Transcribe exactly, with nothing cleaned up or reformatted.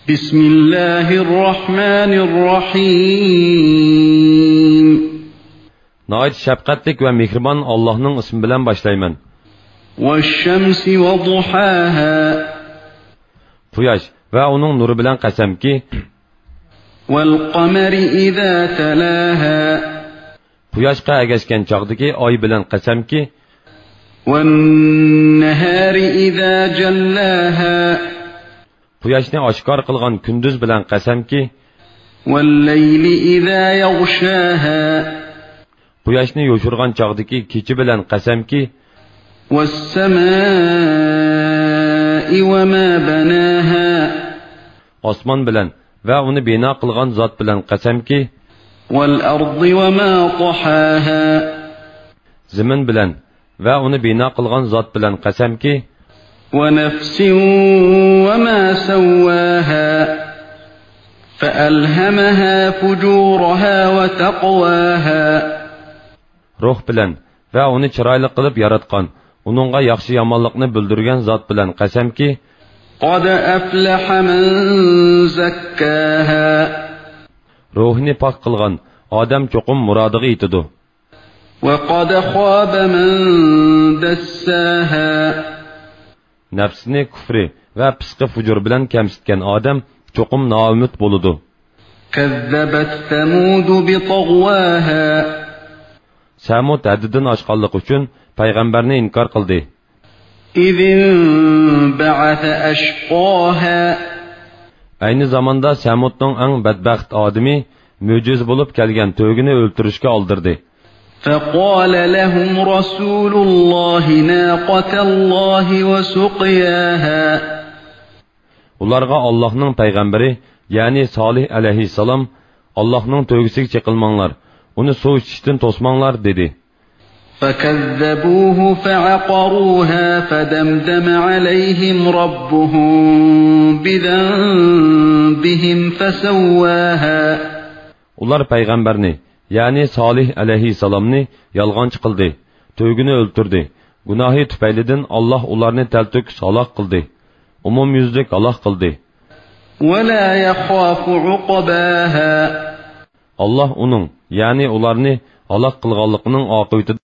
بسم الله الرحمن الرحيم. ناھايىتى شەپقەتلىك ۋە مېھرىبان ئاللاھنىڭ ئىسمى بىلەن باشلايمەن. والشمس وضحاها. قۇياش ۋە ئۇنىڭ نۇرى بىلەن قەسەمكى، والقمر إذا تلاها. قۇياشقا ئەگەشكەن چاغدىكى ئاي بىلەن قەسەمكى، والنهار إذا جلاها. قۇياشنى ئاشكارا قىلغان كۈندۈز بىلەن قەسەمكى، والليل إذا يغشاها. قۇياشنى يوشۇرغان چاغدىكى كېچە بىلەن قەسەمكى، والسماء وما بناها. ئاسمان بىلەن ۋە ئۇنى بىنا قىلغان زات بىلەن قەسەمكى، والأرض وما طحاها. زېمىن بىلەن ۋە ئۇنى بىنا قىلغان زات بىلەن قەسەمكى، ونفس وما سواها. فألهمها فجورها وتقواها. روھ بىلەن ۋە ئۇنى چىرايلىق قىلىپ ياراتقان، ئۇنىڭغا ياخشى-يامانلىقنى بىلدۈرگەن زات بىلەن قەسەمكى، قد أفلح من زكاها. روھىنى پاك قىلغان ئادەم چوقۇم مۇرادىغا يېتىدۇ. وقد خاب من دساها. نەپسىنى كۇفرى ۋە پىسقى-فۇجۇر بىلەن كەمسىتكەن ئادەم چوقۇم نائۈمىد بولىدۇ. كذبت ثمود بطغواها. سەمۇد ھەددىدىن ئاشقانلىقى ئۈچۈن پەيغەمبەرنى ئىنكار قىلدى. إذ انبعث أشقاها. ئەينى زاماندا سەمۇدنىڭ ئەڭ بەدبەخت ئادىمى مۆجىزە بولۇپ كەلگەن تۆگىنى ئۆلتۈرۈشكە ئالدىردى. فقال لهم رسول الله ناقة الله وسقياها. ئۇلارغا ئاللاھنىڭ پەيغەمبىرى، يەنى سالىھ ئەلەيھىسسالام، ئاللاھنىڭ تۆگىسىگە چېقىلماڭلار، ئۇنى سۇ ئىچىشتىن توسماڭلار، دېدى. فكذبوه فعقروها فدمدم عليهم ربهم بذنبهم فسواها. ئۇلار پەيغەمبەرنى، يەنى سالىھ ئەلەيھىسسالامنى يالغانچى قىلدى، تۆگىنى ئۆلتۈردى. گۇناھى تۈپەيلىدىن ئاللاھ ئۇلارنى تەلتۆكۈس ھالاك قىلدى، ئومۇميۈزلۈك ھالاك قىلدى. ولا يخاف عقباها. ئاللاھ ئۇنىڭ، يەنى ئۇلارنى ھالاك قىلغانلىقىنىڭ ئاقىۋىتىدىن